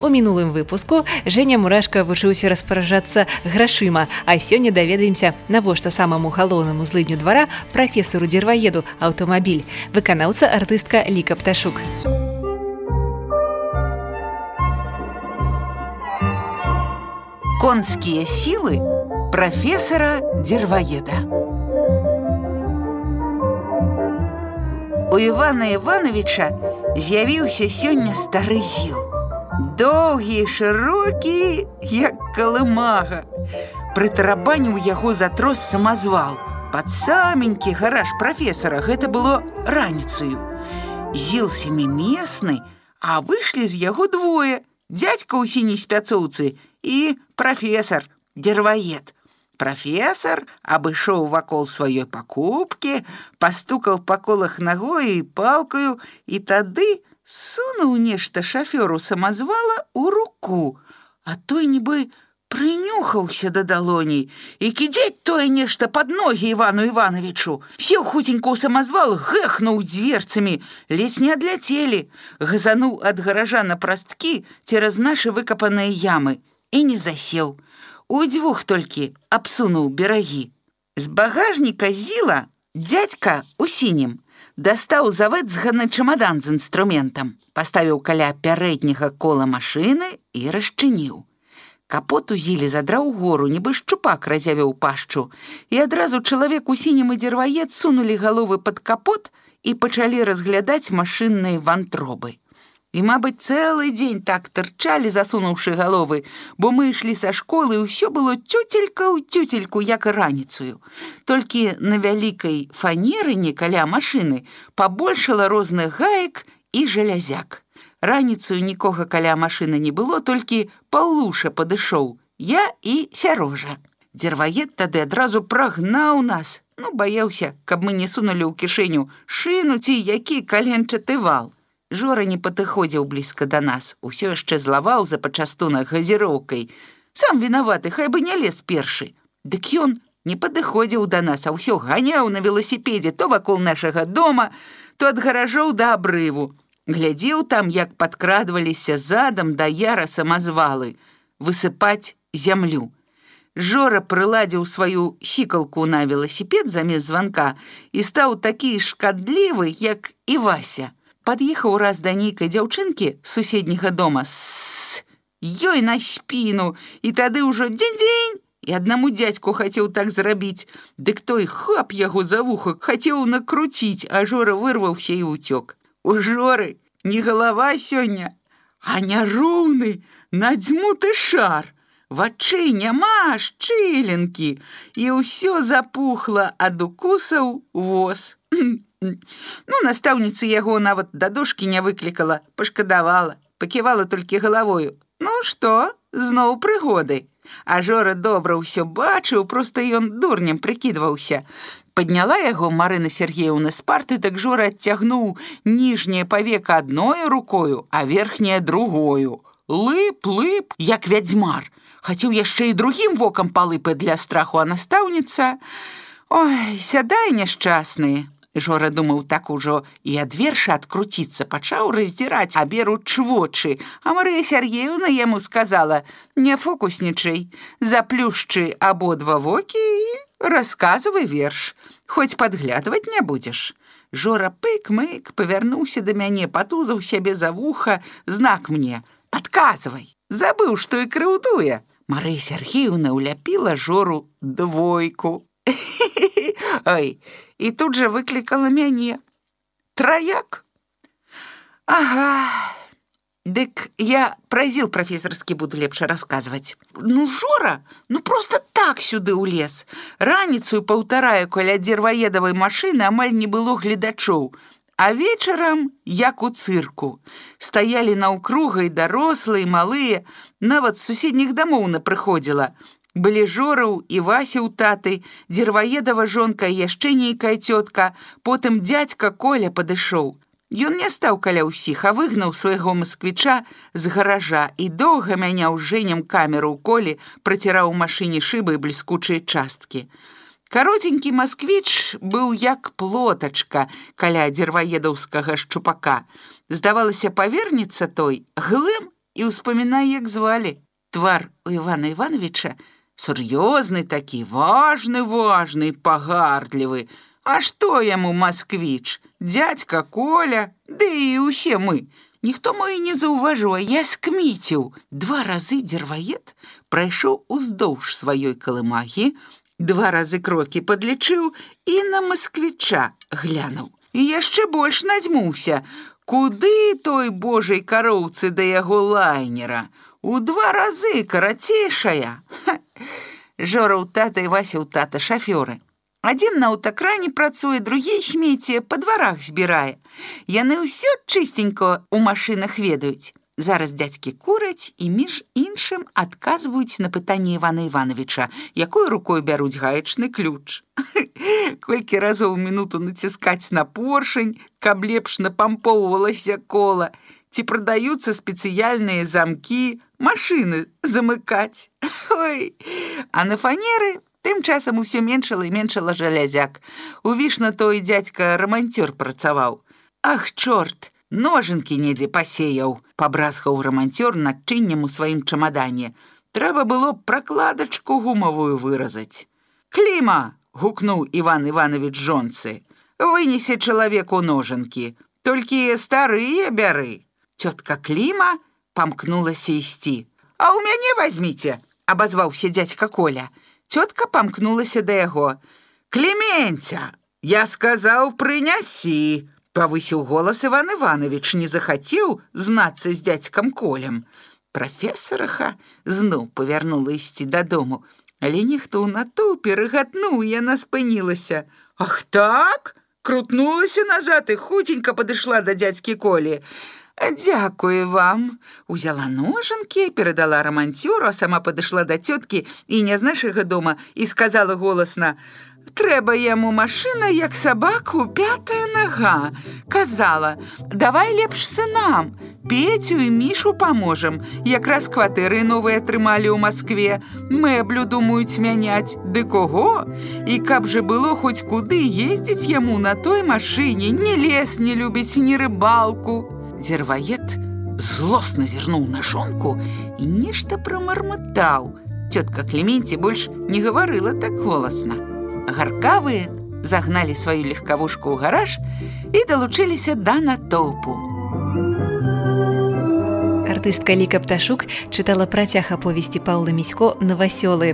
У мінулым выпуску Женя Мурашка вучыўся распараджацца грашыма, а сёння даведаемся, навошта самаму галоўнаму злыдню двара прафесару-дзірваеду аўтамабіль, выканаўца артыстка Ліка Пташук. Конские силы профессора-дзірваеда. У Івана Івановича з'явіўся сёння стары зіл. Доўгі, шырокі, як калымага. Прытарабаніў яго за трос самазвал. Пад саменькі гараж прафесара, гэта было раніцаю. Зіл сямімесны, а выйшлі з яго двое. Дзядзька ў сіняй спяцоўцы і прафесар, дзірваед. Прафесар абышоў вакол сваёй пакупкі, пастукаў па колах нагою і палкаю, і тады сунуў нешта шафёру самазвала ў руку, а той нібы прынюхаўся да далоней і кідзець тое нешта пад ногі Івану Івановичу. Сеў хуценька ў самазвал, гэхнуў дзверцамі, ледзь не адляцелі, газануў ад гаража на прасткі цераз нашы выкапаныя ямы і не засеў. Удзвюх толькі абсунуў берагі. З багажніка зіла дзядзька ў сінім дастаў завэцганы чамадан з інструментам, паставіў каля пярэдняга кола машыны і расчыніў. Капот у зілі задраў гору, нібы шчупак разявіў пашчу, і адразу чалавек у сінім і дзірваед сунулі галовы пад капот і пачалі разглядаць машынныя вантробы. І, мабыць, цэлы дзень так тырчалі, засунуўшы галовы, бо мы ішлі са школы, і ўсё было цюцелька ў цюцельку, як і раніцую. Толькі на вялікай фанерыне каля машыны пабольшала розных гаек і жалязяк. Раніцую нікога каля машыны не было, толькі Паўлуша падышоў, я і Сярожа. Дзірваед тады адразу прагнаў нас, баяўся, каб мы не сунулі ў кішэню шыну ці які каленчаты вал. Жора не падыходзіў блізка да нас, усё яшчэ злаваў за пачастунак газіроўкай. Сам вінаваты, хай бы не лез першы. Дык ён не падыходзіў да нас, а ўсё ганяў на веласіпедзе то вакол нашага дома, то ад гаражоў да абрыву. Глядзеў там, як падкрадваліся задам да яра самазвалы, высыпаць зямлю. Жора прыладзіў сваю сікалку на веласіпед замест званка і стаў такі шкадлівы, як і Вася. Пад'ехаў раз да нейкай дзяўчынкі з суседняга дома, ёй на спіну, і тады ўжо дзень-дзень, і аднаму дзядзьку хацеў так зрабіць, дык той хап яго за вуха хацеў накруціць, а Жора вырваўся і ўцёк. У Жоры не галава сёння, а няроўны, надзьмуты шар. Вачэй няма, шчылінкі, і ўсё запухла ад укусаў воз. Настаўніца яго нават да дошкі не выклікала, пашкадавала, паківала толькі галавою. Што, зноў прыгоды. А Жора добра ўсё бачыў, проста ён дурнем прыкідваўся. Падняла яго Марына Сергеевна з парты, так Жора адцягнуў ніжняе павека адной рукою, а верхняе другою. Лып, як вядзьмар. Хацеў яшчэ і другім вокам палыпаць для страху, а настаўніца... Ой, сядай, няшчасны. Жора думаў так ужо і ад верша адкруціцца, пачаў раздзіраць аберуч вочы, а Марыя Сергеевна яму сказала: «Не фокуснічай, заплюшчы абодва вокі і расказвай верш, хоць падглядваць не будзеш». Жора пык-мык павярнуўся да мяне, патузаў сябе за вуха, знак мне: «Падказвай». Забыў, што і крыўдуе. Марыя Сергеевна ўляпіла Жору двойку. Ой, і тут жа выклікала мяне. Траяк? Ага. Дык я пра зіл прафесарскі буду лепш расказваць. Жора, проста так сюды ўлез. Раніцую паўтараю каля дзірваедавай машыны амаль не было гледачоў, а вечарам, як у цырку. Стаялі наўкруга і дарослыя, і малыя, нават з суседніх дамоў напрыходзіла. Былі Жораў і Вася ў таты, дзірваедава жонка і яшчэ нейкая цётка, потым дзядзька Коля падышоў. Ён не стаў каля ўсіх, а выгнаў свайго масквіча з гаража і доўга мяняў Жэням камеру ў Колі, праціраў у машыне шыбы і бліскучыя часткі. Каротенькі масквіч быў як плотачка каля дзірваедаўскага шчупака. Здавалася, павернецца той, глым і ўспамінай, як звалі. Твар у Івана Івановича сур'ёзны такі, важны, пагардлівы. А што яму Масквіч? Дзядзька Коля, ды і ўсе мы. Ніхто мой не заўважыў, а я скміціў. 2 разы дзерваед прайшоў уздоўж сваёй калымагі, 2 разы крокі падлічыў і на Масквіча глянуў. І яшчэ больш надзьмуўся. Куды той божай кароўцы да яго лайнера? У 2 разы карацейшая. Жора ў тата і Вася ў тата шафёры. Адзін на аўтакране працуе, другі смецце па дварах збірае. Яны ўсё чыстенько ў машынах ведаюць. Зараз дзядзькі кураць і між іншым адказваюць на пытанне Івана Івановича, якой рукой бяруць гаечны ключ. Колькі разоў у мінуту націскаць на поршень, каб лепш напампоўвалася кола, ці прадаюцца спецыяльныя замкі, машыны замыкаць. Ой, а на фанеры тым часам усё меншала і меншала жалязяк. У Вішна той дзядзька раманцёр працаваў. Ах, чорт, ножынкі недзе пасеяў, пабразгаў раманцёр начыннем у сваім чамадане. Трэба было пракладачку гумавую выразаць. Кліма, гукнуў Іван Іванович жонцы. Вынесе чалавеку ножынкі, толькі старыя бяры. Цётка Кліма памкнулася ісці. А ў мяне вазьміце, абазваўся дзядзька Коля. Цётка памкнулася да яго. «Клементя, я сказаў, прынясі!» Павысіў голас Іван Іванович, не захацеў знацца з дзядзькам Колем. Прафесараха зноў павярнула ісці дадому, але нехто ў натоўпе рыгатнуў, яна спынілася. «Ах так?» Крутнулася назад і хутенька падышла да дзядзькі Колі. «Дзякую вам!» Узяла ножынкі, перадала раманцёру, а сама падышла да цёткі і не з нашага дома і сказала голасна: «Трэба яму машына, як сабаку, 5-я нага!» Казала: «Давай лепш сынам, Петю і Мішу паможам. Якраз кватэры новыя атрымалі ў Маскве, мэблю думаюць мяняць. Ды кого? І каб жа было хоць куды ездзіць яму на той машыне, ні лес не любіць, ні рыбалку!» Дзерваед злосна зірнуў на жонку і нешта прамармытаў. Цётка Клеменці больш не гаварыла так голасна. Гаркавыя загналі сваю легкавушку ў гараж і далучыліся да натоўпу. Артыстка Ліка Пташук чытала працяг аповесці Паўла Місько «Новасёлы».